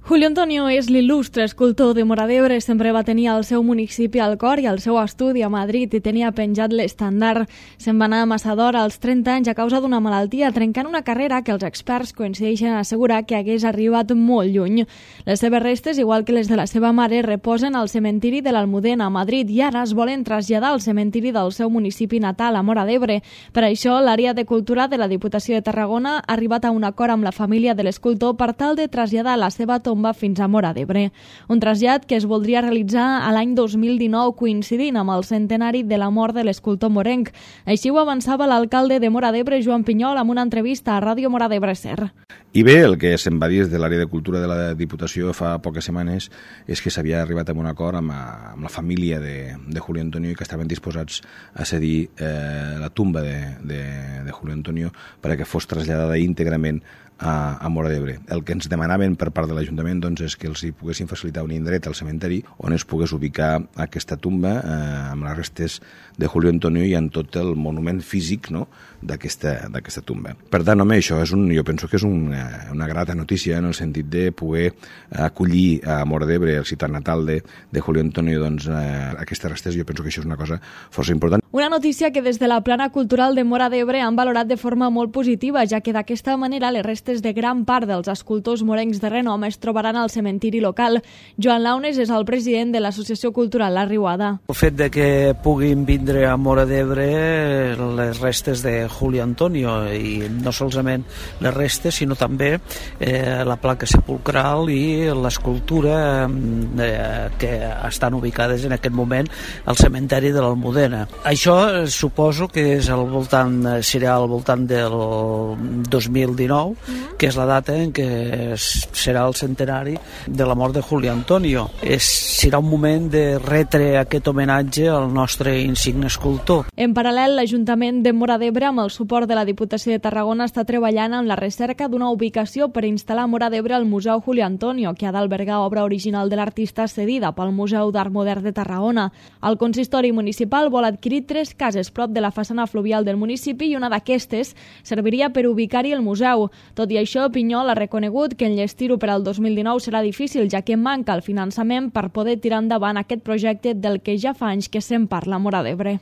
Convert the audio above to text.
Julio Antonio és l'il·lustre escultor de Móra d'Ebre. Sempre va tenir el seu municipi al cor i el seu estudi a Madrid i tenia penjat l'estàndard. Se'n va anar a Massador als 30 anys a causa d'una malaltia, trencant una carrera que els experts coincideixen a assegurar que hagués arribat molt lluny. Les seves restes, igual que les de la seva mare, reposen al cementiri de l'Almudena a Madrid i ara es volen traslladar al cementiri del seu municipi natal, a Móra d'Ebre. Per això, l'àrea de cultura de la Diputació de Tarragona ha arribat a un acord amb la família de l'escultor per tal de traslladar la seva tomba fins a Móra d'Ebre. Un trasllat que es voldria realitzar a l'any 2019, coincidint amb el centenari de la mort de l'escultor morenc. Així ho avançava l'alcalde de Móra d'Ebre, Joan Pinyol, amb una entrevista a Ràdio Móra d'Ebre Ser. I bé, el que se'n va dir des de l'àrea de cultura de la Diputació fa poques setmanes és que s'havia arribat a un acord amb la família de Julio Antonio i que estaven disposats a cedir la tumba de Julio Antonio perquè fos traslladada íntegrament a Móra d'Ebre. El que ens demanaven per part de l'Ajuntament és que els hi poguessin facilitar un indret al cementeri on es pogués ubicar aquesta tumba amb les restes de Julio Antonio i amb tot el monument físic d'aquesta tumba. Per tant, home, això jo penso que és una grata notícia en el sentit de poder acollir a Móra d'Ebre, el ciutat natal de Julio Antonio, aquestes restes. Jo penso que això és una cosa força important. Una notícia que des de la plana cultural de Móra d'Ebre han valorat de forma molt positiva, ja que d'aquesta manera les restes de gran part dels escultors morencs de renom es trobaran al cementiri local. Joan Launes és el president de l'Associació Cultural La Riuada. El fet de que puguin vindre a Móra d'Ebre les restes de Julio Antonio, i no solament les restes, sinó també la placa sepulcral i l'escultura que estan ubicades en aquest moment al cementeri de l'Almudena. Això suposo que serà al voltant del 2019, que és la data en què serà el centenari de la mort de Julio Antonio. Serà un moment de retre aquest homenatge al nostre insigne escultor. En paral·lel, l'Ajuntament de Móra d'Ebre, amb el suport de la Diputació de Tarragona, està treballant en la recerca d'una ubicació per instal·lar a Móra d'Ebre el Museu Julio Antonio, que ha d'albergar obra original de l'artista cedida pel Museu d'Art Modern de Tarragona. El consistori municipal vol adquirir 3 cases prop de la façana fluvial del municipi i una d'aquestes serviria per ubicar-hi el museu. Tot i això, Pinyol ha reconegut que enllestir-ho per al 2019 serà difícil, ja que manca el finançament per poder tirar endavant aquest projecte del que ja fa anys que se'n parla a Móra d'Ebre.